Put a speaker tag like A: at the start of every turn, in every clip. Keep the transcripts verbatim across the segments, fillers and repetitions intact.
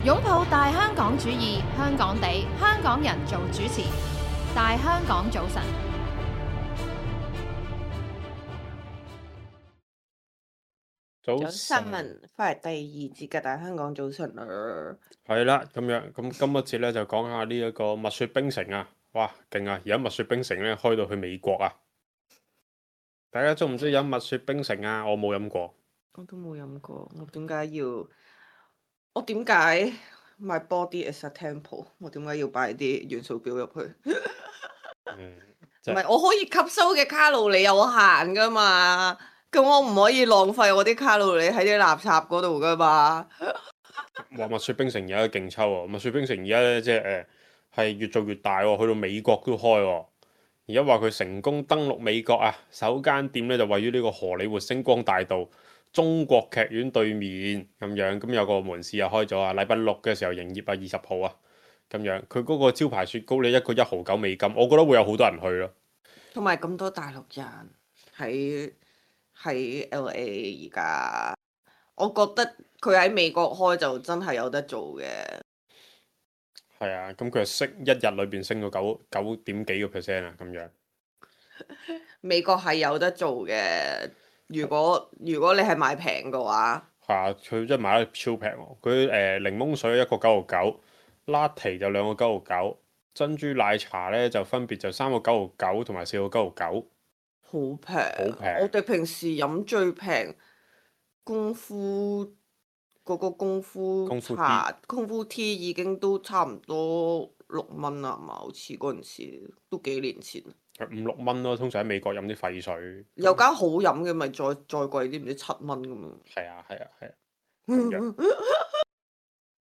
A: 擁抱大香港主義，香港地，香港人做主持。大香港早晨，
B: 早
C: 早晨，翻嚟第二節嘅大香港早晨啦。
B: 係啦，咁樣咁今一節咧就講下呢一個蜜雪冰城啊，哇，勁啊！而家蜜雪冰城咧開到去美國啊，大家中唔中意飲蜜雪冰城啊？我冇飲過，
C: 我都冇飲過，我點解要？我點解 My body is a temple？我點解要擺啲元素表入去？
B: 嗯，
C: 唔係，我可以吸收嘅卡路里有限噶嘛，咁我唔可以浪費我啲卡路里喺啲垃圾嗰度噶嘛。
B: 話蜜雪冰城而家勁抽喎，蜜雪冰城而家咧即係誒係越做越大喎，去到美國都開喎。而家話佢成功登陸美國啊，首間店咧就位於呢個荷里活星光大道中國劇院對面咁樣，咁有個門市又開咗啊，禮拜六嘅時候營業啊，二十號啊咁樣。佢嗰個招牌雪糕咧一個一毫九美金，我覺得會有好多人去咯。
C: 同埋咁多大陸人喺喺 L A 而家，我覺得佢喺美國開就真係有得做嘅。
B: 係啊，咁佢係升一日裏邊升到九九點幾個 percent 啊，咁樣。
C: 美國係有得做嘅，如果如果你係買平嘅話，
B: 係啊，佢真係買得超平喎。佢誒、呃、檸檬水一個九毫九，latte 就兩個九毫九，珍珠奶茶咧就分別就三個九毫九同埋四個九毫九。
C: 好平，
B: 好平。
C: 我哋平時飲最平功夫嗰、嗰個功夫
B: 功夫
C: 茶、功夫 tea 已經都差唔多六蚊啦嘛，好似嗰陣時都幾年前。
B: 五六蚊咯，通常喺美國飲啲廢水。
C: 有間好飲嘅咪再再貴啲，唔知七蚊咁樣。
B: 係啊係啊係啊。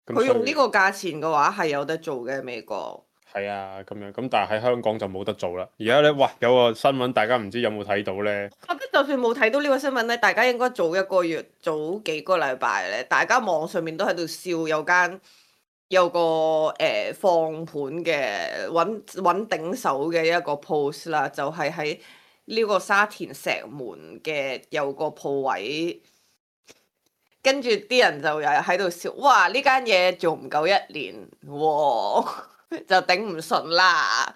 C: 佢用呢個價錢嘅話係有得做嘅美國。
B: 係啊，咁樣咁，但係喺香港就冇得做啦。而家咧，哇，有個新聞，大家唔知有冇睇到咧？
C: 我覺得就算冇睇到呢個新聞咧，大家應該早一個月、早幾個禮拜咧，大家網上面都喺度笑有間有個誒、呃、放盤嘅揾揾頂手嘅一個 post 啦，就係喺呢個沙田石門嘅有個鋪位，跟住啲人就又喺度笑，哇！呢間嘢做唔夠一年喎。就頂唔順啦。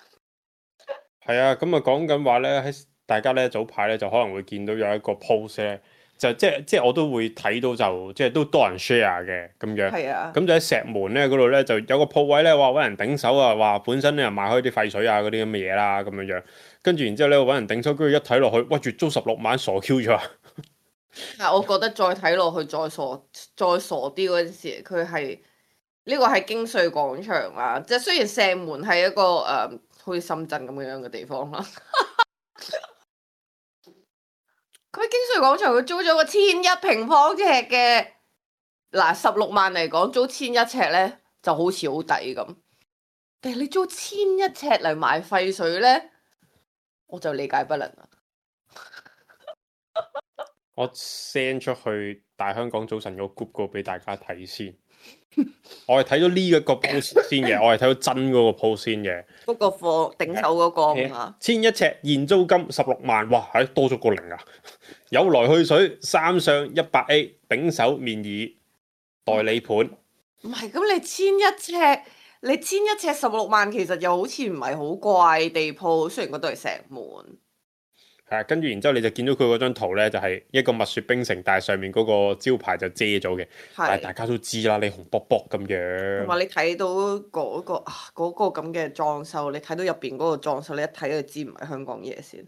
B: 係啊，咁啊講緊話咧，喺大家咧早排咧就可能會見到有一個 post 咧，就即係即係我都會睇到就即係都多人 share 嘅咁樣。
C: 係啊。
B: 咁就喺石門咧嗰度咧就有個鋪位咧話揾人頂手啊，話本身咧又賣開啲廢水啊嗰啲咁嘅嘢啦咁樣樣。跟住然之後咧揾人頂手，跟住一睇落去，哇！月租十六萬，傻 Q 咗。
C: 但我覺得再睇落去再傻再傻啲嗰陣時，佢係。呢個係京穗廣場啦，即係雖然石門係一個誒、呃、好似深圳咁樣嘅地方啦。佢京穗廣場佢租咗個千一平方尺嘅，嗱十六萬嚟講租千一尺咧就好似好抵咁，但係你租千一尺嚟買廢水咧，我就理解不能啦。
B: 我 send 出去大香港早晨個 group 個俾大家睇先。我係睇到呢一個 post 先嘅，我係睇到真嗰個 post 先嘅。
C: 嗰個貨頂手嗰個啊，
B: 千一尺現租金十六萬，哇！係多咗個零啊！有來去水三上一百 A 頂手面議代理盤。
C: 唔係咁，你千一尺，你千一尺十六萬，其實又好似唔係好貴地鋪，雖然嗰度係石門。
B: 係啊，跟住然之後你就見到佢嗰張圖咧，就係、是、一個蜜雪冰城，但係上面嗰個招牌就遮咗嘅。但係大家都知啦，你紅卜卜咁樣。
C: 同埋你睇到嗰、嗰個啊嗰、嗰個咁嘅裝修，你睇到入邊嗰個裝修，你一睇就知唔係香港嘢先。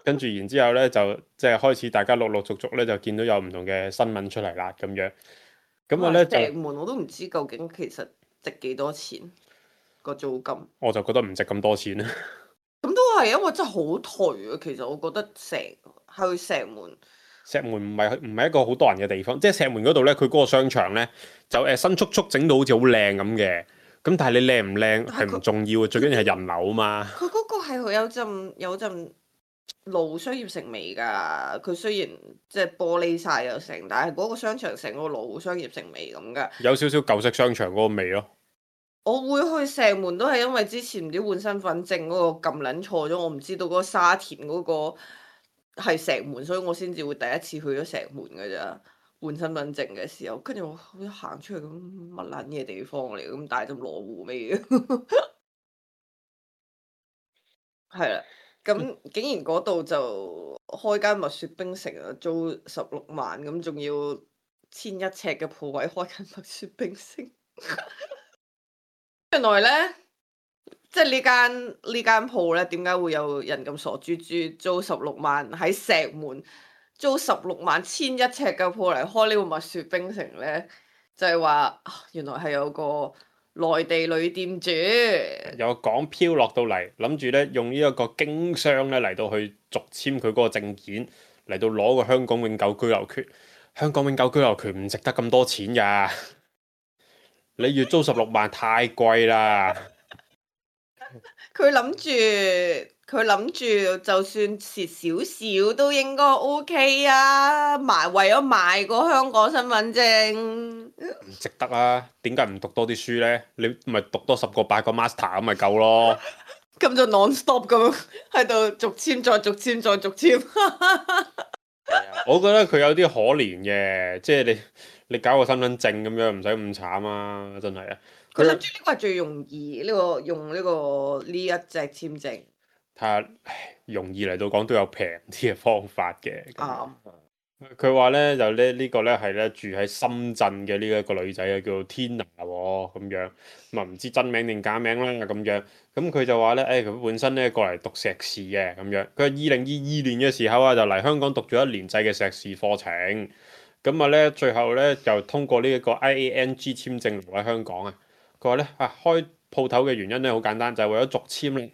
B: 跟住然之後咧，就即係開始大家陸陸續續咧就見到有唔同嘅新聞出嚟啦，咁樣。咁我咧
C: 石門我都唔知究竟其實值幾多錢個租金。
B: 我就覺得唔值咁多錢啦。
C: 咁都係，因為真係好頹啊！其實我覺得成去石門，
B: 石門唔係唔係一個好多人嘅地方，即係石門嗰度咧，佢嗰個商場咧就誒新速速整到好似好靚咁嘅。咁但係你靚唔靚係唔重要嘅，最緊要係人流啊嘛。
C: 佢嗰個係有陣有陣老商業城味㗎。佢雖然即係玻璃晒又成，但係嗰個商場成個老商業城味咁㗎。
B: 有少少舊式商場嗰個味咯。
C: 我會去石門都係因為之前唔知換身份證嗰個撳撚錯咗，我唔知道嗰個沙田嗰個係石門，所以我先至會第一次去咗石門㗎咋。換身份證嘅時候，跟住我一行出去咁乜撚嘢地方嚟，咁大陣羅湖味嘅，係啦。咁竟然嗰度就開間蜜雪冰城啊，租十六萬，咁仲要千一尺嘅鋪位開間蜜雪冰城。原來咧，即係呢間呢間鋪咧，點解會有人咁傻豬豬租十六萬喺石門租十六萬千一尺嘅鋪嚟開呢個蜜雪冰城咧？就係話原來係有個內地女店主，
B: 有港漂落到嚟，諗住咧用呢一個經商咧嚟到去續簽佢嗰個證件，嚟到攞個香港永久居留權。香港永久居留權唔值得咁多錢㗎，你月租十六萬太貴啦。
C: 佢諗住佢諗住就算蝕少少都應該 OK 啊，賣為咗賣個香港身份證。
B: 唔值得啊！點解唔讀多啲書呢？你咪讀多十個八個 master 咁咪夠咯。
C: 咁就 non stop 咁喺度續簽再續簽再續簽。
B: 我覺得佢有啲可憐嘅，即係你你搞個身份證咁樣唔使咁慘啊！真係啊！
C: 佢諗住呢個係最容易呢、呢個用呢、呢個呢一隻簽證。
B: 睇下容易嚟到講都有平啲嘅方法嘅。
C: 啱。
B: 佢話咧就咧呢個咧係咧住喺深圳嘅呢一個女仔啊，叫做天娜喎咁樣，咁啊唔知真名定假名啦咁樣。咁佢就話咧，誒佢本身咧過嚟讀碩士嘅咁樣。佢二零二二年嘅時候啊，就嚟香港讀咗一年制嘅碩士課程。咁啊咧最後咧就通過呢一個 I A N G 簽證留喺香港啊。佢話咧啊開鋪頭嘅原因咧好簡單，就係為咗續簽咧。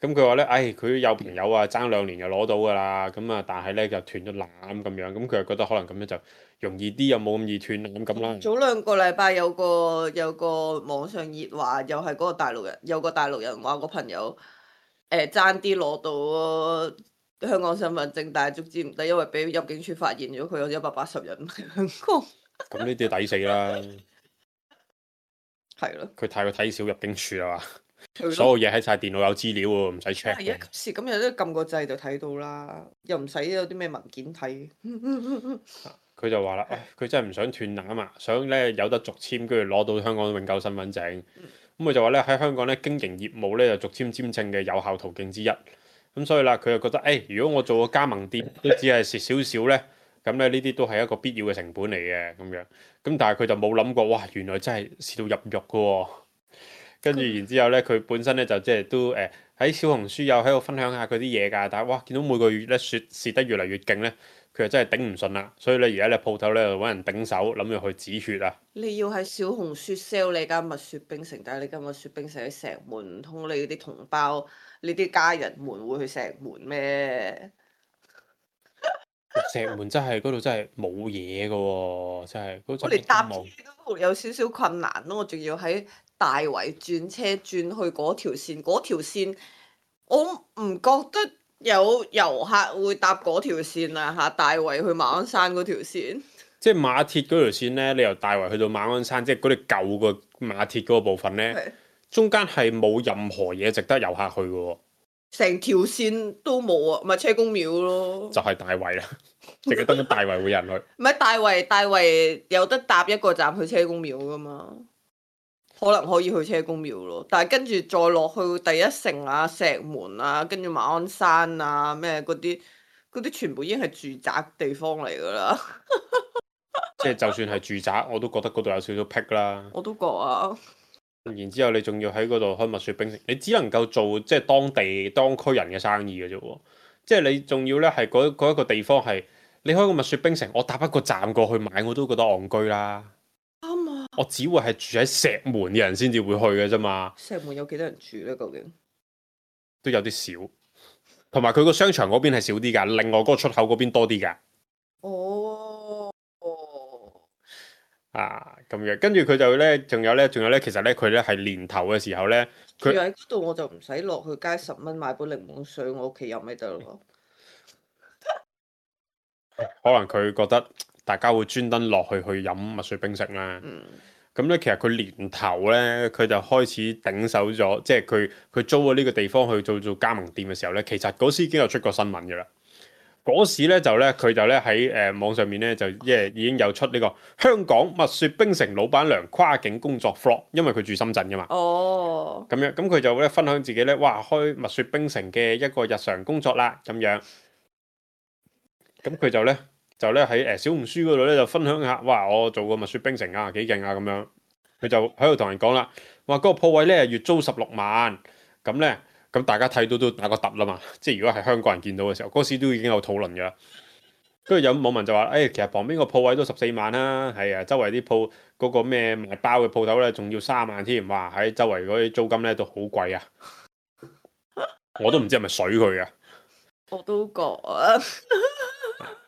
B: 咁佢話咧，唉，佢有朋友啊，爭兩年就攞到噶啦，咁啊，但係咧就斷咗纜咁樣，咁佢又覺得可能咁樣就容易啲，又冇咁易斷纜咁啦。
C: 早兩個禮拜有個有個網上熱話，又係嗰個大陸人，有個大陸人話個朋友誒爭啲攞到香港身份證，但係足之唔得，因為俾入境處發現咗佢有一百八十人喺香港。咁
B: 呢啲抵死啦，
C: 係咯。
B: 佢太過睇小入境處啦嘛。所有嘢喺晒電腦有資料喎，唔使 check。
C: 係啊，今時今日都撳個掣就睇到啦，又唔使有啲咩文件睇。
B: 佢就話啦，佢真係唔想斷纜啊嘛，想咧有得續簽，跟住攞到香港永久身份證。咁佢、嗯、就話咧喺香港咧經營業務咧就續簽簽證嘅有效途徑之一。咁所以啦，佢就覺得誒、哎，如果我做個加盟店都只係蝕少少咧，咁咧呢啲都係一個必要嘅成本嚟嘅咁樣。咁但係佢就冇諗過，哇！原來真係蝕到入肉㗎喎。跟住然之後咧，佢本身咧就即係都誒喺、呃、小紅書又喺度分享下佢啲嘢㗎，但係哇見到每個月咧蝕蝕得越嚟越勁咧，佢就真係頂唔順啦。所以咧而家咧鋪頭咧就揾人頂手，諗住去止血啊！
C: 你要喺小紅書 sell 你間蜜雪冰城，但係你間蜜雪冰城喺石門，唔通你啲同胞、你啲家人們會去石門咩？
B: 石門真係嗰度真係冇嘢㗎喎，真係嗰陣
C: 我哋搭車都有少少困難咯，我仲要喺大圍轉車轉去嗰條線，嗰條線我唔覺得有遊客會搭嗰條線啊嚇！大圍去馬鞍山嗰條線，
B: 即係馬鐵嗰條線咧，你由大圍去到馬鞍山，即係嗰啲舊個馬鐵嗰個部分咧，
C: 是
B: 中間係冇任何嘢值得遊客去嘅喎。
C: 成條線都冇啊，咪車公廟咯，
B: 就係大圍啦，淨係得咗大圍會有人去。
C: 唔係大圍，大圍有得搭一個站去車公廟噶嘛？可能可以去車公廟咯，但係跟住再落去第一城啊、石門啊、跟住馬鞍山啊咩嗰啲，嗰啲全部已經係住宅地方嚟噶啦。
B: 即係就算係住宅，我都覺得嗰度有少少僻啦。
C: 我都覺啊。
B: 然之後你仲要喺嗰度開蜜雪冰城，你只能夠做即係當地當區人嘅生意嘅啫喎。即係你仲要咧係嗰嗰一個地方係你開個蜜雪冰城，我搭一個站過去買我都覺得戇居啦。
C: 啱啊！
B: 我只會係住喺石門嘅人先至會去嘅啫嘛。
C: 石門有幾多人住咧？究竟
B: 都有啲少，同埋佢個商場嗰邊係少啲㗎，另外嗰個出口嗰邊多啲㗎。
C: 哦哦
B: 啊，咁樣跟住佢就咧，仲有咧，仲有咧，其實咧佢咧係年頭嘅時候咧，
C: 住喺嗰度我就唔使落去街十蚊買杯檸檬水，我屋企飲咪得咯。
B: 可能佢覺得大家會專登落去去飲蜜雪冰城啦。咁咧、嗯，其實佢年頭咧，佢就開始頂手咗，即係佢佢租咗呢個地方去做做加盟店嘅時候咧，其實嗰時已經有出過新聞嘅啦。嗰時咧就咧佢就咧喺誒網上面咧就即係已經有出呢個香港蜜雪冰城老闆娘跨境工作 vlog，因為佢住深圳噶嘛。
C: 哦。
B: 咁樣咁佢就咧分享自己咧，哇開蜜雪冰城嘅一個日常工作啦咁樣。咁佢就咧就咧喺誒小紅書嗰度咧就分享下，哇我做過蜜雪冰城啊幾勁啊咁樣。佢就喺度同人講啦，話嗰個鋪位咧月租十六萬，咁咧。咁大家睇到都打個突啦嘛，即係如果係香港人見到嘅時候，嗰時都已經有討論嘅啦。跟住有網民就話，誒、哎，其實旁邊個鋪位都十四萬啦，係啊，周圍啲鋪嗰個咩賣包嘅鋪頭咧，仲要三萬添，哇！喺周圍嗰啲租金咧都好貴啊，我都唔知係咪水佢啊。
C: 我都覺啊。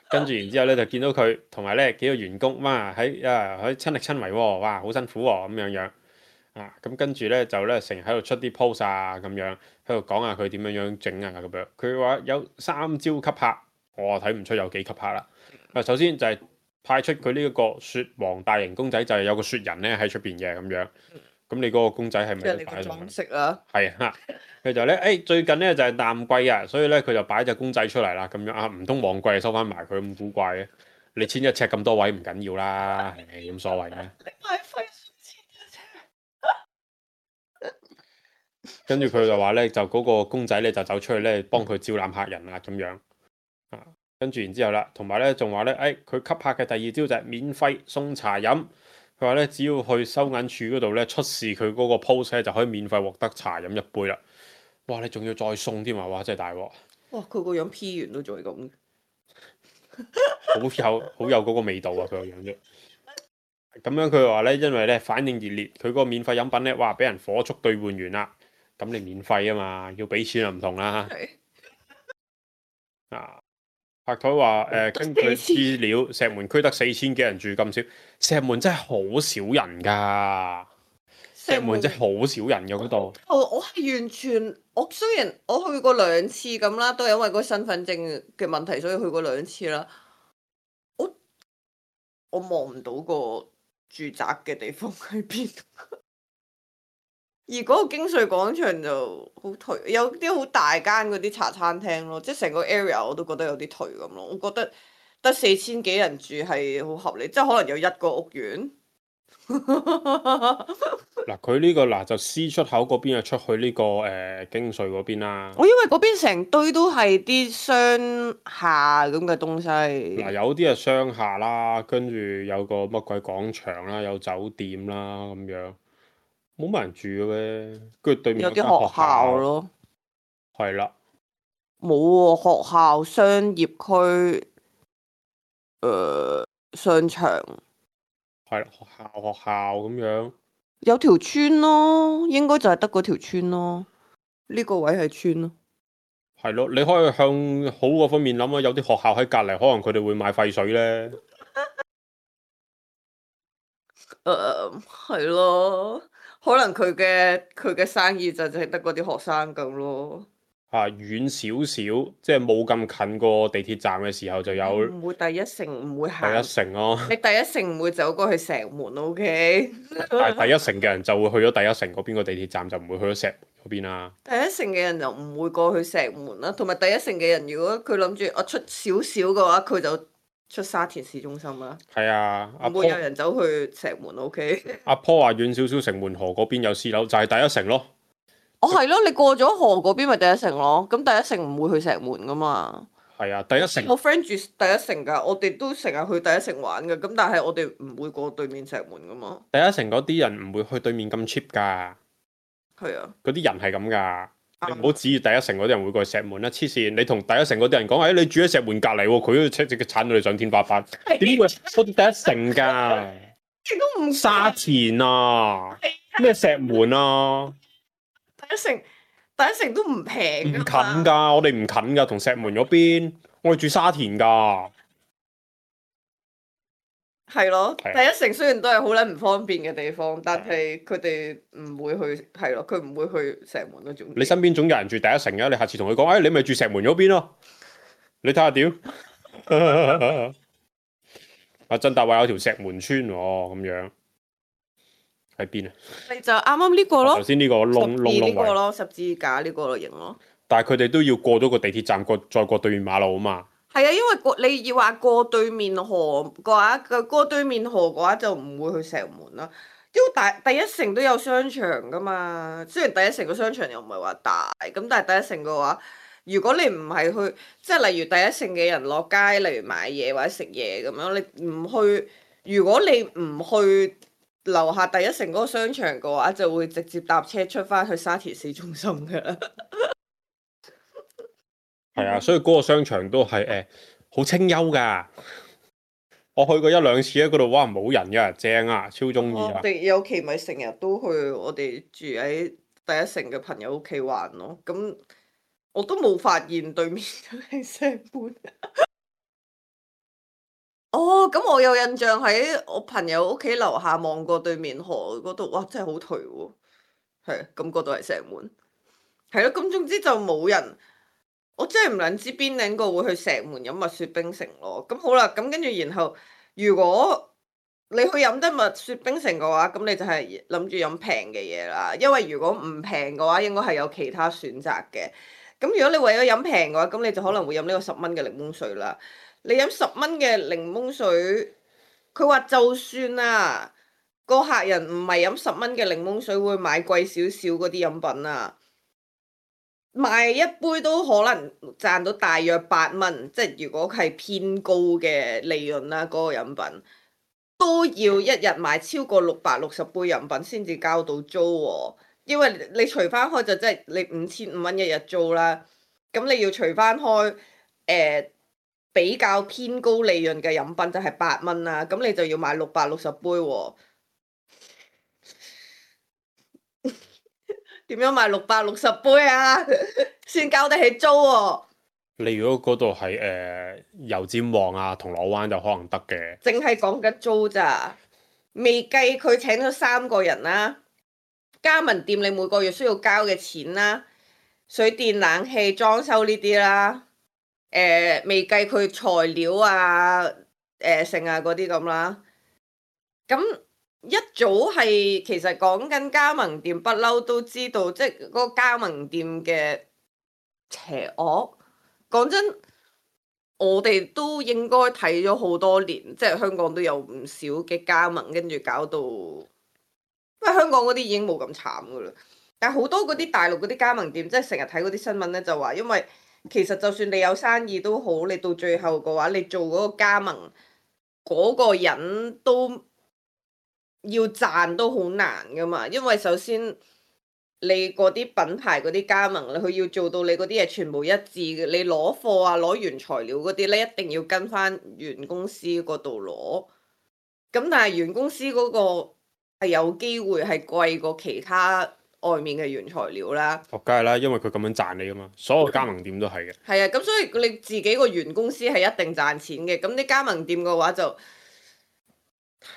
B: 跟住然之後咧就見到佢同埋咧幾個員工，哇喺啊喺親力親為喎，哇好辛苦喎咁樣樣。啊，咁跟住咧就咧成日喺度出啲 post 啊，咁樣喺度講下佢點樣樣整啊咁樣。佢話有三招吸客，我睇唔出有幾吸客啦。啊，首先就係派出佢呢一個雪王大型公仔，就係、是、有個雪人咧喺出邊嘅咁樣。咁你嗰個公仔係咪？
C: 即係你個裝飾啊？係
B: 啊，佢就咧誒、哎、最近咧就係、是、淡季啊，所以咧佢就擺隻公仔出嚟啦，咁樣啊，唔通旺季收翻埋佢咁古怪嘅？你千一尺咁多位唔緊要啦，係咁所謂嘅。
C: 你買費
B: 跟住佢就話咧，就嗰個公仔咧就走出去咧幫佢招攬客人啦咁樣啊。跟住然之後啦，同埋咧仲話咧，誒佢吸客嘅第二招就係免費送茶飲。佢話咧只要去收銀處嗰度咧出示佢嗰個 post 咧就可以免費獲得茶飲一杯啦。哇！你仲要再送添啊！哇！真係大鑊。
C: 哇！佢個樣 P 完都仲係咁，
B: 好有好有嗰個味道啊！佢個樣啫。咁樣佢話咧，因為咧反應熱烈，佢嗰個免費飲品咧，哇！俾人火速兌換完啦。咁你免費啊嘛，要俾錢就唔同啦。啊，拍台話誒，根據資料，石門區得四千幾人住咁少，石門真係好少人噶。石門真係好少人嘅嗰度。
C: 我我係完全，我雖然我去過兩次咁啦，都係因為嗰個身份證嘅問題，所以去過兩次啦。我我望唔到個住宅嘅地方喺邊。而嗰個京穗廣場就好頹，有啲好大間嗰啲茶餐廳咯，即係成個 area 我都覺得有啲頹咁咯。我覺得得四千幾人住係好合理，即係可能有一個屋苑。
B: 嗱，佢呢個嗱就 C 出口嗰邊啊，出去呢、這個誒、呃、京穗嗰邊啦。
C: 我因為嗰邊成堆都係啲商廈咁嘅東西。
B: 嗱，有啲係商廈啦，跟住有個乜鬼廣場啦，有酒店啦咁樣。冇乜人住嘅咩？跟住對面
C: 有啲學校咯，
B: 係啦，
C: 冇喎，學校、商業區、誒、呃、商場，
B: 係啦，學校學校咁樣，
C: 有條村咯，應該就係得嗰條村咯，呢、這個位係村咯，
B: 係咯，你可以向好嗰方面諗啊，有啲學校喺隔籬，可能佢哋會買廢水咧，
C: 誒係咯。可能佢嘅佢嘅生意就淨係得嗰啲學生咁咯。
B: 啊，遠少少，即係冇咁近個地鐵站嘅時候就有。
C: 唔會第一城唔會行。
B: 第一城咯。
C: 你第一城唔會走過去石門 ，O K。
B: 但係第一城嘅人就會去咗第一城嗰邊個地鐵站，就唔會去咗石門嗰邊啦。
C: 第一城嘅人就唔會過去石門啦，同埋第一城嘅人如果佢諗住我出少少嘅話，佢就出沙田市中心啦。
B: 係啊，
C: 唔會有人走去石門 ，O K。
B: 阿坡話遠少少城門河嗰邊有私樓，就係、是、第一城咯。
C: 哦，係咯，你過咗河嗰邊咪第一城咯。咁第一城唔會去石門噶嘛。係
B: 啊，第一城。
C: 我 friend 住第一城噶，我哋都成日去第一城玩噶。咁但係我哋唔會過對面石門噶嘛。
B: 第一城嗰啲人唔會去對面咁 cheap 噶。
C: 係啊。嗰
B: 啲人係咁噶。你唔好指意第一城嗰啲人會過去石門啦，黐線！你同第一城嗰啲人講，誒、哎，你住喺石門隔離喎，佢都車直接鏟到你上天花板。點會？我哋第一城㗎。
C: 你都唔
B: 沙田啊？咩石門啊？
C: 第一城，第一城都唔平。
B: 唔近㗎，我哋唔近㗎，同石門嗰邊，我哋住沙田㗎。
C: 係咯，第一城雖然都係好撚唔方便嘅地方，但係佢哋唔會去，係咯，佢唔會去石門嗰種。
B: 你身邊總有人住第一城嘅，你下次同佢講，誒、哎，你咪住石門嗰邊咯，你睇下點？阿振達話有條石門村喎，咁樣喺邊啊？
C: 你就啱啱呢個咯，
B: 頭先呢個窿窿窿
C: 位咯，十字架呢個型咯。
B: 但係佢哋都要過咗個地鐵站，過再過對面馬路啊嘛。
C: 係啊，因為過你要話過對面河嘅話，個過對面河嘅話就唔會去石門啦。因為大第一城都有商場噶嘛，雖然第一城個商場又唔係話大，咁但係第一城嘅話，如果你唔係去，即係例如第一城嘅人落街，例如買嘢或者食嘢咁樣，你唔去，如果你唔去樓下第一城嗰個商場嘅話，就會直接搭車出翻去沙田市中心噶啦。
B: 係啊，所以嗰個商場都係誒好清幽噶。我去過一兩次喺嗰度，哇冇人噶，正啊，超中意啊！
C: 我哋有期咪成日都去我哋住喺第一城嘅朋友屋企玩咯。咁我都冇發現對面係石門。哦，咁我有印象喺我朋友屋企樓下望過對面河嗰度，哇，真係好頹喎。係，咁嗰度係石門。係咯，咁總之就冇人。我真係唔撚知邊兩個會去石門飲蜜雪冰城咯。咁好啦，咁跟住然後，如果你去飲得蜜雪冰城嘅話，咁你就係諗住飲平嘅嘢啦。因為如果唔平嘅話，應該係有其他選擇嘅。咁如果你為咗飲平嘅話，咁你就可能會飲呢個十蚊嘅檸檬水啦。你飲十蚊嘅檸檬水，佢話就算啊，個客人唔係飲十蚊嘅檸檬水，會買貴少少嗰啲飲品啊。賣一杯都可能賺到大約八蚊，即係如果係偏高嘅利潤啦，嗰個飲品都要一日賣超過六百六十杯飲品先至交到租喎。因為你除翻開就即係你五千五蚊一日租啦，咁你要除翻開誒、呃、比較偏高利潤嘅飲品就係八蚊啦，咁你就要賣六百六十杯喎。點樣賣六百六十杯啊？先交得起租喎、啊。
B: 你如果嗰度係誒油尖旺啊、銅鑼灣就可能得嘅。
C: 淨係講緊租咋，未計佢請咗三個人啦，加盟店你每個月需要交嘅錢啦，水電冷氣裝修呢啲啦，誒、呃、未計佢材料啊、誒剩啊嗰啲咁啦，咁。一早係其實講緊加盟店，不嬲都知道，即係嗰個加盟店嘅邪惡。講真，我哋都應該睇咗好多年，即係香港都有唔少嘅加盟，跟住搞到，因為香港嗰啲已經冇咁慘噶啦。但係好多嗰啲大陸嗰啲加盟店，即係成日睇嗰啲新聞咧，就話因為其實就算你有生意都好，你到最後嘅話，你做嗰個加盟嗰個人都。要賺都好難噶嘛，因為首先你嗰啲品牌嗰啲加盟咧，佢要做到你嗰啲嘢全部一致嘅，你攞貨啊、攞原材料嗰啲咧，一定要跟翻原公司嗰度攞。咁但係原公司嗰個係有機會係貴過其他外面嘅原材料啦。
B: 哦，梗係啦，因為佢咁樣賺你噶嘛，所有加盟店都係嘅。
C: 係啊，咁所以你自己個原公司係一定賺錢嘅，咁啲加盟店嘅話就。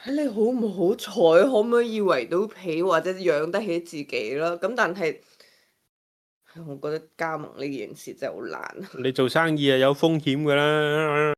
C: 睇你好唔好彩，可唔可以圍到皮或者養得起自己啦？咁但係，我覺得加盟呢件事真係好難。
B: 你做生意係有風險噶啦，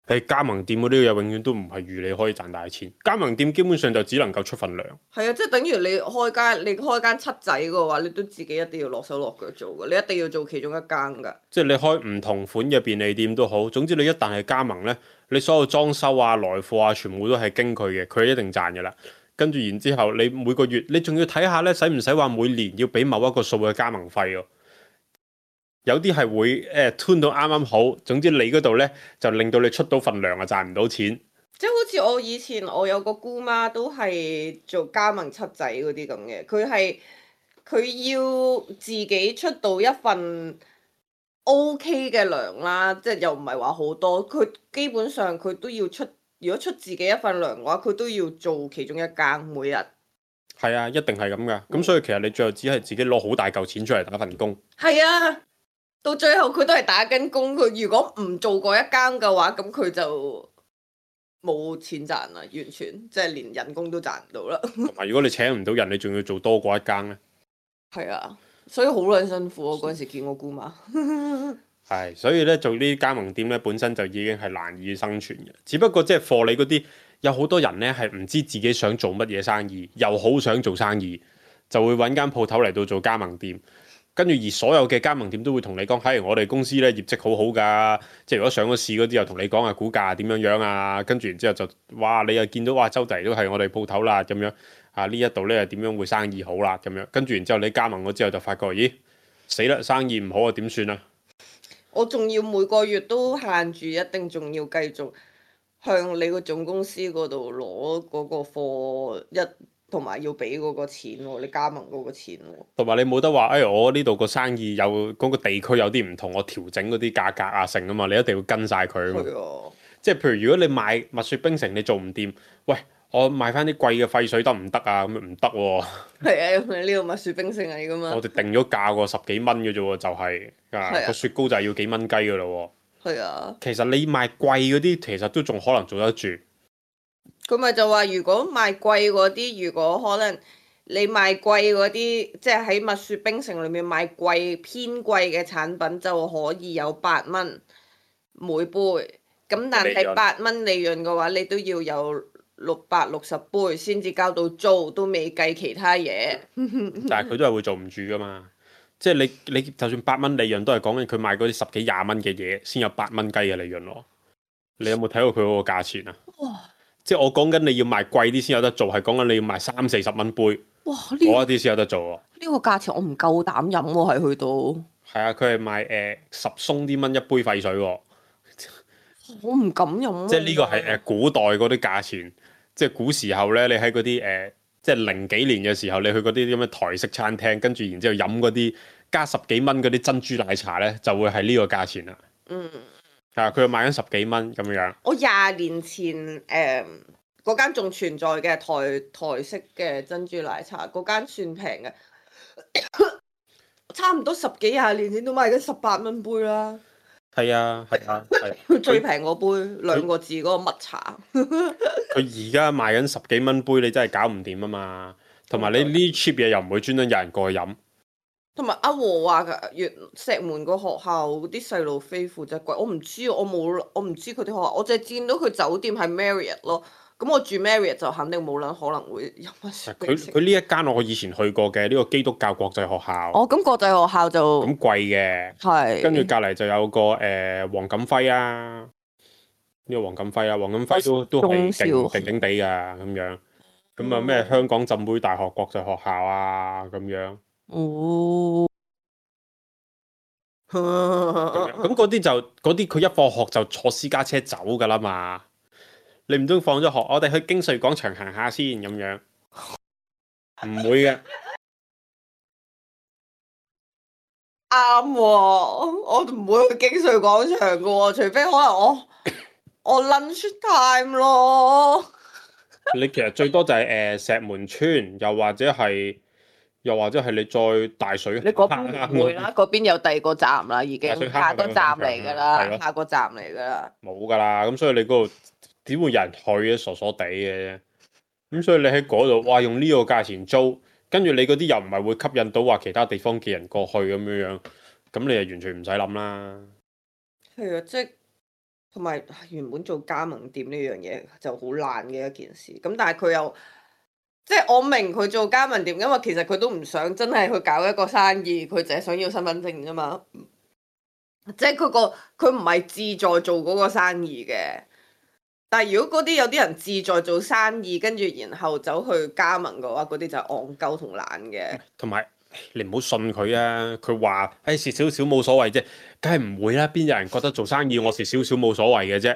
B: 係加盟店嗰啲嘢永遠都唔係預你可以賺大錢。加盟店基本上就只能夠出份糧。係
C: 啊，即係等於你開間你開間七仔嘅話，你都自己一定要落手落腳做嘅，你一定要做其中一間噶。即係
B: 你開唔同款嘅便利店都好，總之你一旦係加盟呢。你所有裝修啊、來貨啊，全部都係經佢嘅，佢一定賺嘅啦。跟住然之後，你每個月你仲要睇下咧，使唔使話每年要俾某一個數嘅加盟費喎？有啲係會誒 turn 到啱啱好，總之你嗰度咧就令到你出到份糧啊，賺唔到錢。
C: 即係好似我以前我有個姑媽都係做加盟七仔嗰啲咁嘅，佢係佢要自己出到一份。O.K. 嘅糧啦，即係又唔係話好多，佢基本上佢都要出，如果出自己一份糧嘅話，佢都要做其中一間每日。
B: 係啊，一定係咁噶，咁、嗯、所以其實你最後只係自己攞好大嚿錢出嚟打份工。
C: 係啊，到最後佢都係打緊工，佢如果唔做過一間嘅話，咁佢就冇錢賺啦，完全即係連人工都賺唔到啦。
B: 同埋如果你請唔到人，你仲要做多過一間咧？
C: 係啊。所以好撚辛苦，我嗰陣時見我姑媽。
B: 係，所以咧做呢啲加盟店咧，本身就已經係難以生存嘅。只不過即係貨你嗰啲，有好多人咧係唔知自己想做乜嘢生意，又好想做生意，就會揾間鋪頭嚟到做加盟店。跟住而所有嘅加盟店都會同你講，係我哋公司咧業績好好㗎，即係如果上咗市嗰啲又同你講啊股價點樣樣啊，跟住然之後就哇你又見到哇周圍都係我哋鋪頭啦咁樣啊呢一度咧又點樣會生意好啦咁樣，跟住然之後你加盟咗之後就發覺咦死啦生意唔好啊點算啊？
C: 我仲要每個月都限住，一定仲要繼續向你個總公司嗰度攞嗰個貨一。同埋要俾嗰個錢喎，你加盟嗰個錢喎。
B: 同埋你冇得話，誒、哎、我呢度個生意有嗰、嗰個地區有啲唔同，我調整嗰啲價格啊成啊嘛，你一定要跟晒佢啊嘛。
C: 係啊。即
B: 係譬如如果你賣蜜雪冰城你做唔掂，喂我賣翻啲貴嘅廢水得唔得啊？咁樣唔得喎。
C: 係啊，因為呢個蜜雪冰城嚟噶嘛。
B: 我哋定咗價喎，十幾蚊嘅啫喎，就係、係、個雪糕就係要幾蚊雞噶咯喎。係啊。其實你賣貴嗰啲，其實都仲可能做得住。
C: 佢咪就話，如果賣貴嗰啲，如果可能你賣貴嗰啲，即係喺蜜雪冰城裏面賣貴偏貴嘅產品，就可以有八蚊每杯。咁但係八蚊利潤嘅話，你都要有六百六十杯先至交到租，都未計其他嘢。
B: 但係佢都係會做唔住噶嘛。即係你你就算八蚊利潤，都係講緊佢賣嗰啲十幾廿蚊嘅嘢，先有八蚊雞嘅利潤咯。你有冇睇過佢嗰個價錢啊？哇！即係我講緊你要賣貴啲先有得做，係講緊你要賣三四十蚊杯，哇！嗰一啲先有得做喎。
C: 呢個價錢我唔夠膽飲喎，係去到。
B: 係啊，佢係賣誒、呃、十鬆啲蚊一杯廢水喎。
C: 我唔敢飲。
B: 即係呢個係誒古代嗰啲價錢，即係古時候咧，你喺嗰啲誒即係零幾年嘅時候，你去嗰啲咁嘅台式餐廳，跟住然之後飲嗰啲加十幾蚊嗰啲珍珠奶茶咧，就會係呢個價錢啦。嗯。係佢又賣緊十幾蚊咁樣。我
C: 廿年前誒嗰間仲存在嘅台台式嘅珍珠奶茶，嗰間算平嘅，差唔多十幾廿年前都賣緊十八蚊杯啦。
B: 係啊，係啊，
C: 係。最平嗰杯兩個字嗰個蜜茶。
B: 佢而家賣緊十幾蚊杯，你真係搞唔掂啊嘛！同埋你呢 cheap 嘢又唔會專登有人過去飲。
C: 同埋阿和話嘅，越石門個學校啲細路飛負責貴，我唔知，我冇，我唔知佢啲學校，我淨係見到佢酒店係 Marriott 咯。咁我住 Marriott 就肯定冇撚可能會飲蜜雪冰城。佢佢呢一間我以前去過嘅呢、呢個基督教國際學校。哦，咁國際學校就
B: 咁貴嘅。係。跟住隔離就有個誒、呃、黃錦輝啊，呢、呢個黃錦輝啊，黃錦輝都都係勁勁勁地㗎咁樣。咁啊咩香港浸會大學國際學校啊咁樣。哦，咁嗰啲就嗰啲佢一放學就坐私家車走噶啦嘛，你唔通放咗學我哋去京穗廣場行下先咁樣？唔會嘅。
C: 啱喎，我唔會去京穗廣場噶喎，除非可能我我 lunch time 咯。
B: 你其實最多就係、是、誒、呃、石門村，又或者係。又或者係你再大水，
C: 你嗰邊唔會啦，嗰邊有第二個站啦，已經下個站嚟㗎啦，下個站嚟㗎啦。
B: 冇㗎啦，咁所以你嗰度點會有人去嘅？傻傻地嘅。咁所以你喺嗰度，哇，用呢個價錢租，跟住你嗰啲又唔係會吸引到話其他地方嘅人過去咁樣樣，咁你就完全唔使諗啦。
C: 係啊，即係同埋原本做加盟店呢樣嘢就好難嘅一件事，咁但係佢又。即係我明佢做加盟店，因為其實佢都唔想真係去搞一個生意，佢淨係想要身份證啫嘛。即係佢個佢唔係志在做嗰個生意嘅。但係如果嗰啲有啲人志在做生意，跟住然後走去加盟嘅話，嗰啲就係戇鳩同懶嘅。同埋
B: 你唔好信佢啊！佢話誒蝕少少冇所謂啫，梗係唔會啦。邊有人覺得做生意我蝕少少冇所謂嘅啫？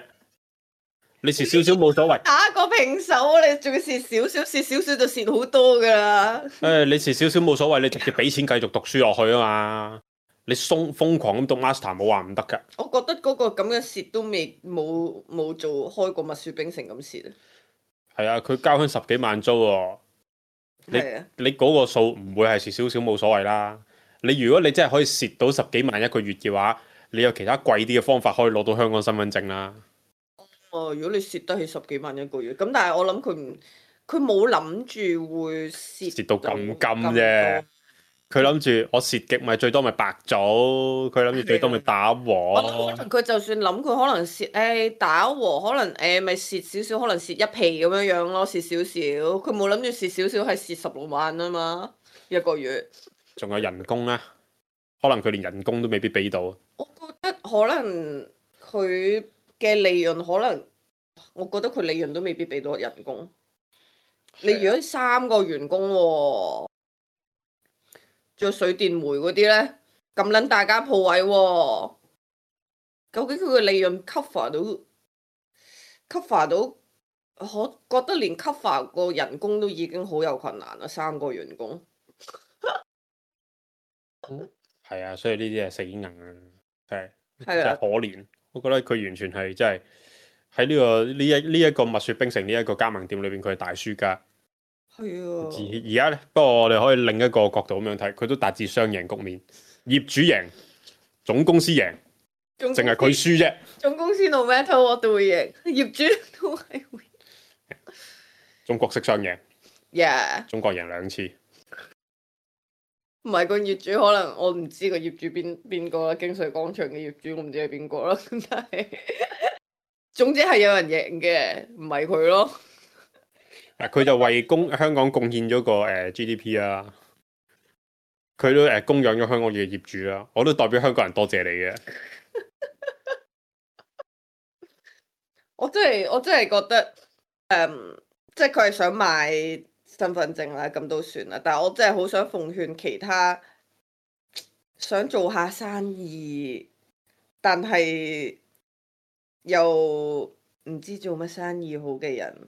B: 你蝕少少冇所謂，
C: 打個平手，你仲要蝕少少，蝕少少就蝕好多噶啦。誒、
B: 哎，你蝕少少冇所謂，你直接俾錢繼續讀書落去啊嘛。你瘋瘋狂咁讀 master 冇話唔得噶。
C: 我覺得嗰個咁嘅蝕都未冇冇做開過蜜雪冰城咁蝕啊。
B: 係啊，佢交翻十幾萬租喎。你你嗰個數唔會係蝕少少冇所謂啦。你如果你真係可以蝕到十幾萬一個月嘅話，你有其他貴啲嘅方法可以攞到香港身份證啦。
C: 哦，如果你蝕得起十幾萬一個月，咁但係我諗佢唔，佢冇諗住會蝕
B: 蝕到咁金啫。佢諗住我蝕極咪最多咪白做，佢諗住最多咪打和。
C: 我諗佢就算諗佢可能蝕，誒、哎、打和可能誒咪蝕少少，可能蝕一皮咁樣樣咯，蝕少少。佢冇諗住蝕少少係蝕十六萬啊嘛，一個月。
B: 仲有人工啊！可能佢連人工都未必俾到。
C: 我覺得可能佢嘅利潤可能，我覺得佢利潤都未必俾到人工。你如果三個員工喎、啊，仲有水電煤嗰啲咧，咁撚大間鋪位喎、啊，究竟佢嘅利潤 cover 到 cover 到？我覺得連 cover 個人工都已經好有困難啦，三個員工。
B: 係啊，所以呢啲係死硬啊，係真
C: 係啊
B: 係可憐。我覺得佢完全係真係喺呢個呢一呢一個蜜雪冰城呢一個加盟店裏邊，佢係大輸家。
C: 係啊，
B: 而而家咧，不過我哋可以另一個角度咁樣睇，佢都達至雙贏局面，業主贏，總公司贏，淨係佢輸啫。
C: 總公司 no matter what 都會贏，業主都係會。
B: 中國式雙贏，
C: Yeah，
B: 中國贏兩次。
C: 唔係個業主可能我唔知個業主邊邊個啦，京穗廣場嘅業主我唔知係邊個啦，咁但係總之係有人贏嘅，唔係佢咯。
B: 嗱，佢就為公香港貢獻咗個誒、呃、G D P 啦，佢都誒、呃、供養咗香港嘅業主啦，我都代表香港人多謝你嘅。
C: 我真係我真係覺得，誒、嗯，即係佢係想買身份證啦，咁都算啦。但係我真係好想奉勸其他想做下生意，但係又唔知做乜生意好嘅人，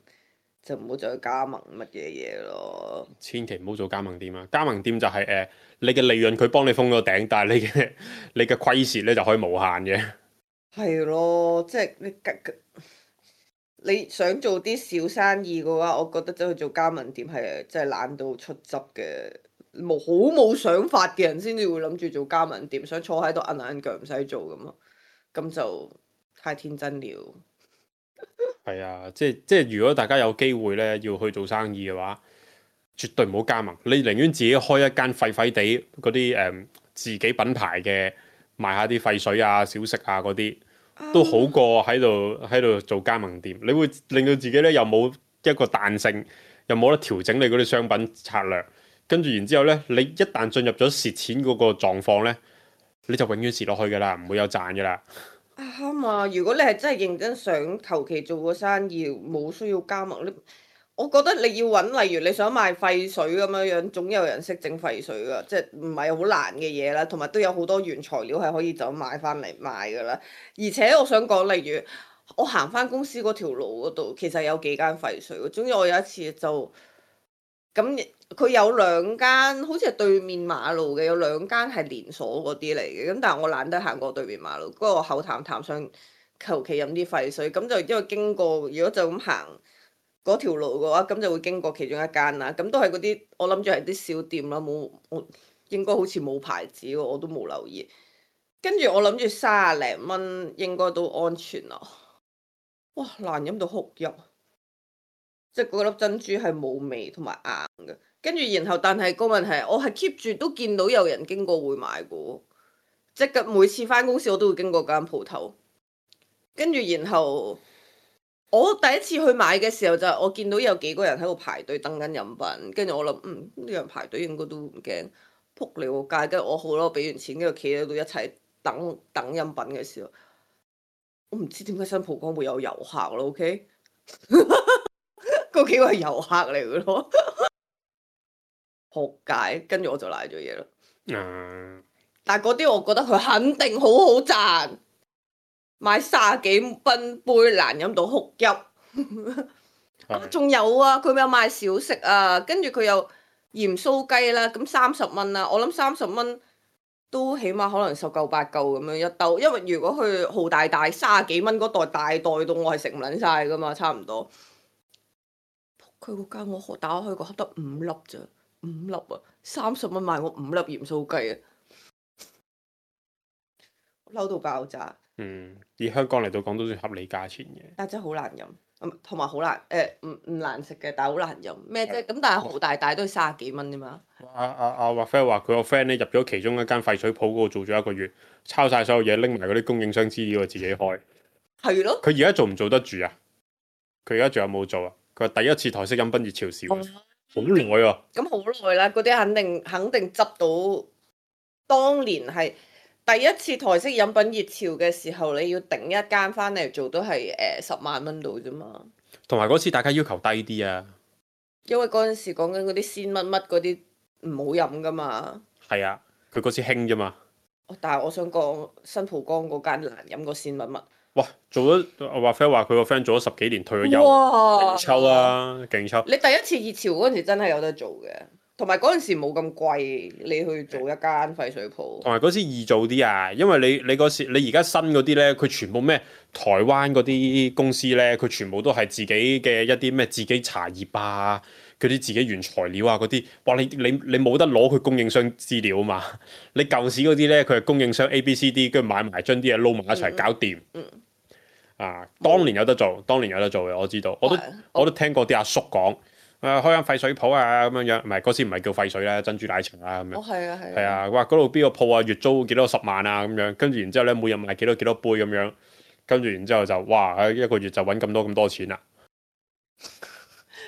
C: 就唔好再加盟乜嘢嘢咯。
B: 千祈唔好做加盟店啊！加盟店就係、是、誒、呃，你嘅利潤佢幫你封咗頂，但係你嘅你嘅虧蝕咧就可以無限嘅。係
C: 咯，即係你你想做啲小生意嘅話，我覺得走去做加盟店係真係懶到出汁嘅，冇好冇想法嘅人先至會諗住做加盟店，想坐喺度揞揞腳唔使做咁咯，咁就太天真了。
B: 係啊，即係即係，如果大家有機會咧要去做生意嘅話，絕對唔好加盟。你寧願自己開一間廢廢地嗰啲誒自己品牌嘅，賣下啲廢水啊、小食啊嗰啲。都好過喺度喺度做加盟店，你會令到自己咧又冇一個彈性，又冇得調整你嗰啲商品策略，跟住然之後咧，你一旦進入咗蝕錢嗰個狀況咧，你就永遠蝕落去噶啦，唔會有賺噶啦。
C: 啱啊！如果你係真係認真想求其做個生意，冇需要加盟，你我覺得你要揾，例如你想賣廢水咁樣樣，總有人識整廢水噶，即係唔係好難嘅嘢啦。同埋都有好多原材料係可以就咁買翻嚟賣噶啦。而且我想講，例如我行翻公司嗰條路嗰度，其實有幾間廢水。總之我有一次就咁，佢有兩間好似係對面馬路嘅，有兩間係連鎖嗰啲嚟嘅。咁但係我懶得行過對面馬路，不過我口淡淡想求其飲啲廢水，咁就因為經過，如果就咁行嗰條路嘅話，咁就會經過其中一間啦。咁都係嗰啲，我諗住係啲小店啦，冇我應該好似冇牌子喎，我都冇留意。跟住我諗住三廿零蚊應該都安全啦。哇，難飲到哭泣，即係嗰粒珍珠係冇味同埋硬嘅。跟住然後，但係個問題係，我係 keep 住都見到有人經過會買嘅，即係每次返公司我都會經過間鋪頭。跟住然後。我第一次去買嘅時候就係我見到有幾個人喺度排隊等緊飲品，跟住我諗嗯呢人排隊應該都唔驚，撲你個街，跟住我好咯，俾完錢跟住企喺度一齊等等飲品嘅時候，我唔知點解新蒲崗會有遊客咯 ，OK？ 嗰幾個係遊客嚟嘅咯，撲街，跟住我就賴咗嘢啦。
B: 嗯，
C: 但係嗰啲我覺得佢肯定好好賺。買卅幾蚊杯難飲到哭泣，仲有啊，佢有賣小食啊，跟住佢有鹽酥雞啦，咁三十蚊啦，我諗三十蚊都起碼可能十嚿八嚿咁樣一兜，因為如果去豪大大卅幾蚊嗰袋大袋到我係食唔撚晒噶嘛，差唔多。佢嗰間我打開個盒得五粒咋，五粒啊，三十蚊賣我五粒鹽酥雞啊，嬲到爆炸。
B: 嗯，以香港嚟到講都算合理價錢嘅，
C: 但真係好難飲，同埋好難誒，唔唔難食嘅，但係好難飲咩啫？咁但係豪大大都係三十幾蚊啫嘛。阿
B: 阿阿華飛話佢個 friend 咧入咗其中一間廢水鋪嗰度做咗一個月，抄晒所有嘢，拎埋嗰啲供應商資料自己開。
C: 係咯。
B: 佢而家做唔做得住啊？佢而家仲有冇做啊？佢話第一次台式飲檳熱潮少，好耐啊。
C: 咁好耐啦，嗰啲肯定肯定執到當年係第一次台式飲品熱潮嘅時候，你要頂一間翻嚟做都係誒、呃、十萬蚊度啫嘛。
B: 同埋嗰次大家要求低啲啊，
C: 因為嗰陣時講緊嗰啲鮮乜乜嗰啲唔好飲噶嘛。
B: 係啊，佢嗰次興啫嘛。
C: 但係我想講新蒲崗嗰間難飲過鮮乜乜。
B: 哇！做咗我話 friend 話佢個 friend 做咗十幾年退咗休，
C: 哇！
B: 勁抽啊，勁抽！
C: 你第一次熱潮嗰陣時真係有得做嘅，同埋嗰陣時冇咁貴，你去做一間廢水鋪。
B: 同埋嗰時易做啲啊，因為你你嗰時你而家新嗰啲咧，佢全部咩台灣嗰啲公司咧，佢全部都係自己嘅一啲咩自己茶葉啊，佢啲自己原材料啊嗰啲，哇！你你你冇得攞佢供應商資料啊嘛，你舊時嗰啲咧，佢係供應商 A B C D，跟住買埋將啲嘢撈埋一齊搞掂。
C: 嗯。嗯
B: 啊！當年有得做，當年有得做嘅，我知道，我都我都聽過啲阿叔講，誒、啊、開間廢水鋪啊咁樣樣，唔係嗰時唔係叫廢水啦，珍珠奶茶啊咁樣。
C: 哦，係啊，係啊。
B: 係啊，哇！嗰度邊個鋪啊，月租幾多十萬啊咁樣，跟住然之後咧，每日賣幾多幾多杯咁樣，跟住然之後就哇，一個月就揾咁多咁多錢啦。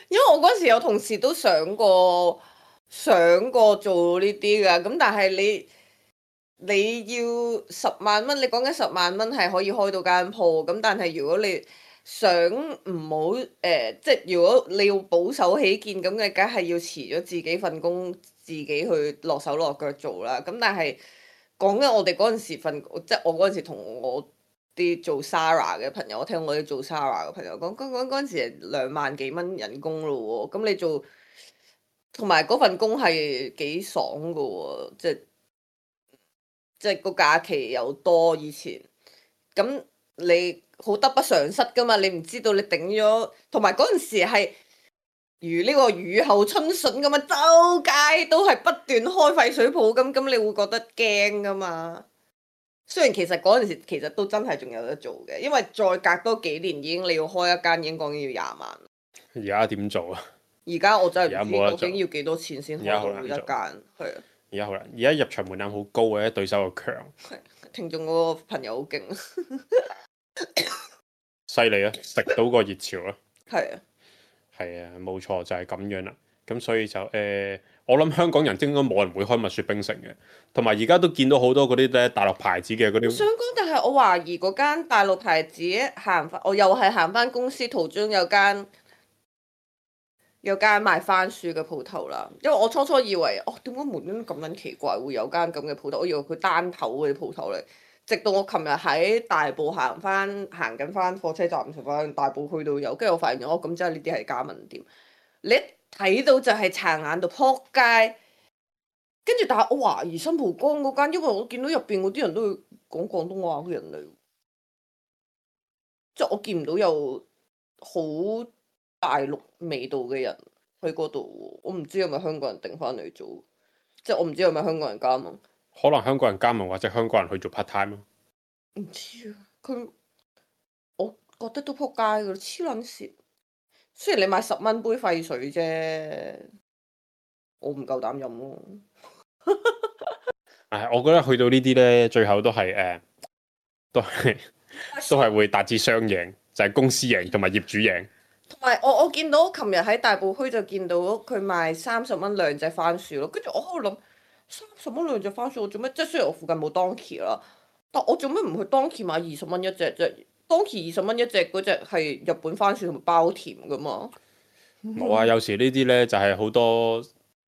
C: 因為我嗰時有同事都想過想過做呢啲㗎，咁但係你。你要十萬蚊，你講緊十萬蚊係可以開到間鋪，咁但係如果你想唔好誒，即係如果你要保守起見，咁你梗係要辭咗自己份工，自己去落手落腳做啦。咁但係講緊我哋嗰陣時份，即係我嗰陣時同我啲做 Zara 嘅朋友，我聽我啲做 Zara 嘅朋友講，講講嗰陣時係兩萬幾蚊人工咯喎，咁你做同埋嗰份工係幾爽噶喎，即係。即係個假期又多，以前咁你好得不償失噶嘛？你唔知道你頂咗，同埋嗰陣時係如呢個雨後春筍咁啊，周街都係不斷開廢水鋪，咁咁你會覺得驚噶嘛？雖然其實嗰陣時其實都真係仲有得做嘅，因為再隔多幾年已經你要開一間已經講緊要廿萬。
B: 而家點做啊？
C: 而家我真係唔知究竟要幾多錢先開到一間，係啊。
B: 而家好難，而家入場門檻好高嘅，對手又強。
C: 係，聽眾嗰個朋友好勁，
B: 犀利啊！食到個熱潮啦。
C: 係啊，
B: 係啊，冇錯就係、是、咁樣啦。咁所以就誒、呃，我諗香港人應該冇人會開蜜雪冰城嘅，同埋而家都見到好多嗰啲咧大陸牌子嘅嗰啲。我
C: 想講，但係我懷疑嗰間大陸牌子行翻，我又係行翻公司途中有間。有間賣番薯嘅鋪頭啦，因為我初初以為，哦，點解門邊咁撚奇怪會有間咁嘅鋪頭？我以為佢單頭嗰啲鋪頭嚟，直到我琴日喺大埔行翻行緊翻火車站，同翻大埔去到有，跟住我發現咗，哦，咁即係呢啲係加盟店。你一睇到就係殘眼到撲街，跟住但係我懷疑新蒲崗嗰間，因為我見到入邊嗰啲人都係講廣東話嘅人嚟，即係我見唔到有好大陸味道嘅人喺嗰度，我唔知係咪香港人定翻嚟做，即係我唔知係咪香港人加盟。
B: 可能香港人加盟或者香港人去做 part time 咯。
C: 唔知啊，佢我覺得都撲街噶，黐撚線。雖然你買十蚊杯廢水啫，我唔夠膽飲咯。
B: 唉，我覺得去到呢啲咧，最後都係誒、呃，都係都係會達至雙贏，就係、是、公司贏同埋業主贏。
C: 同埋我我見到琴日喺大埔區就見到佢賣三十蚊兩隻番薯咯，跟住我喺度諗三十蚊兩隻番薯我做咩？即係雖然我附近冇 Donkey 啦，但我做咩唔去 Donkey 買二十蚊一隻啫？Donkey 二十蚊一隻嗰隻係日本番薯同埋包甜噶嘛？
B: 冇啊，有時呢啲咧就係好多，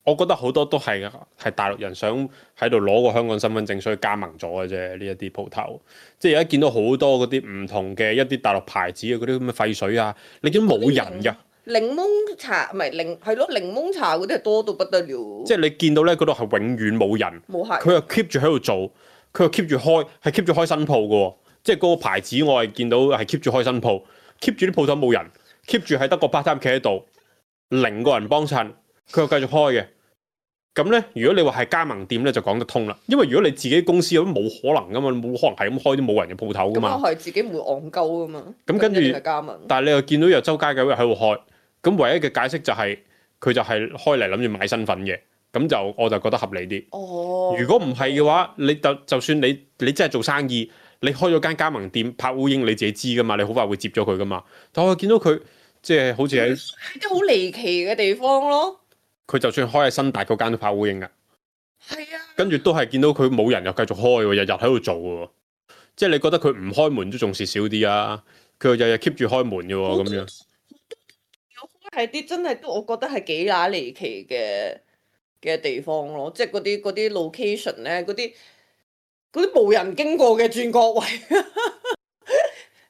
B: 我覺得好多都係係大陸人想喺度攞個香港身份證，所以加盟咗嘅啫。呢一啲鋪頭，即係而家見到好多嗰啲唔同嘅一啲大陸牌子嘅嗰啲咁嘅廢水啊，你見到冇人㗎。
C: 檸檬茶唔係檸係咯，檸檬茶嗰啲係多到不得了。
B: 即係你見到咧，嗰度係永遠冇人，
C: 冇係。
B: 佢又 keep 住喺度做，佢又 keep 住開，係 keep 住開新鋪嘅喎。即係嗰個牌子，我係見到係 keep 住開新鋪，keep 住啲鋪頭冇人，keep 住係得個 part time 企喺度，零個人幫襯，佢又繼續開嘅。咁咧，如果你話係加盟店咧，就講得通啦。因為如果你自己公司有都冇可能噶嘛，冇可能係咁開啲冇人嘅鋪頭噶嘛。
C: 咁我係自己唔會戇鳩噶嘛。
B: 咁跟住，但係你又見到有周街九日喺度開，咁唯一嘅解釋就係、是、佢就係開嚟諗住買身份嘅，咁就我就覺得合理啲。
C: 哦。如
B: 果唔係嘅話，你就就算你你真係做生意，你開咗間加盟店拍烏蠅，你自己知噶嘛，你好快會接咗佢噶嘛。但我見到佢即係好似喺
C: 喺啲好離奇嘅地方咯。
B: 佢就算開喺新大嗰間都拍烏蠅噶。
C: 係啊。
B: 跟住都係見到佢冇人又繼續開喎，日日喺度做喎。即係你覺得佢唔開門都仲蝕少啲啊？佢又日日 keep 住開門嘅喎，咁樣。
C: 係啲真係都，我覺得係幾乸離奇嘅嘅地方咯，即係嗰啲嗰啲 location 咧，嗰啲嗰啲無人經過嘅轉角位，誒、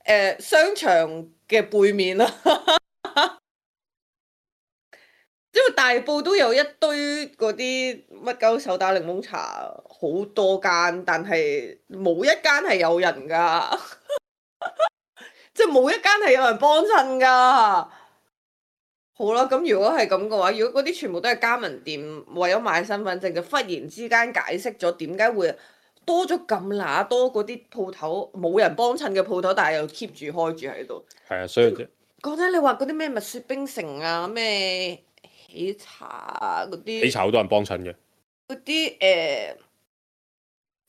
C: 呃、商場嘅背面啦，因為大埔都有一堆嗰啲乜鳩手打檸檬茶，好多間，但係冇一間係有人噶，即係冇一間係有人幫襯噶。好啦，咁如果係咁嘅話，如果嗰啲全部都係加盟店，為咗買身份證，就忽然之間解釋咗點解會多咗咁乸多嗰啲鋪頭冇人幫襯嘅鋪頭，但係又 keep 住開住喺度。
B: 係啊，所以
C: 講真，你話嗰啲咩蜜雪冰城啊，咩喜茶啊嗰啲，
B: 喜茶好多人幫襯嘅。
C: 嗰啲誒，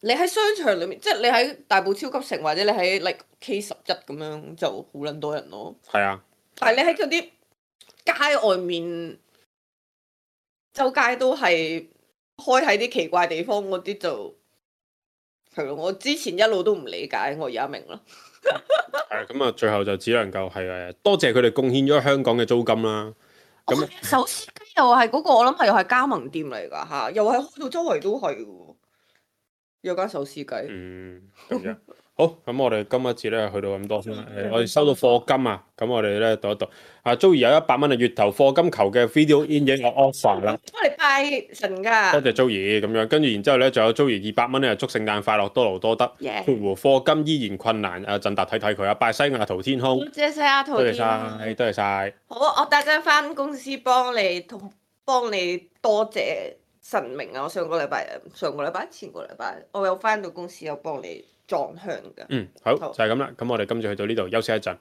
C: 你喺商場裏面，即係你喺大埔超級城或者你喺 like K 十一咁樣就好撚多人咯。
B: 係啊，
C: 但係你喺嗰啲街外面，周街都係開喺啲奇怪地方嗰啲就係咯。我之前一路都唔理解，我而家明啦。
B: 係咁啊，最後就只能夠係誒多謝佢哋貢獻咗香港嘅租金啦。咁、
C: 哦、手撕雞又係嗰個，我諗係又係加盟店嚟㗎嚇，又係開到周圍都係喎，有間手撕雞。
B: 嗯，咁樣。好，咁我哋今一節咧去到咁多先啦。誒，我哋收到課金啊，咁我哋咧讀一讀。啊，Joey 有一百蚊嘅月頭課金求嘅 video in 影嘅 offer 啦。
C: 我哋拜神㗎。
B: 多謝 Joey 咁樣，跟住然之後咧，仲有 Joey 二百蚊咧，祝聖誕快樂，多勞多得。
C: Yeah.
B: 括弧課金依然困難，啊，振達睇睇佢啊，拜西雅圖天空。
C: 多謝晒阿圖
B: 多謝
C: 天空。
B: 晒，多謝晒。
C: 好，我等陣翻公司幫你同幫你多謝神明啊！我上個禮拜上個禮拜前個禮拜，我有翻到公司有幫你裝香㗎。
B: 嗯，好，就係咁啦。咁我哋今次去到呢度休息一陣。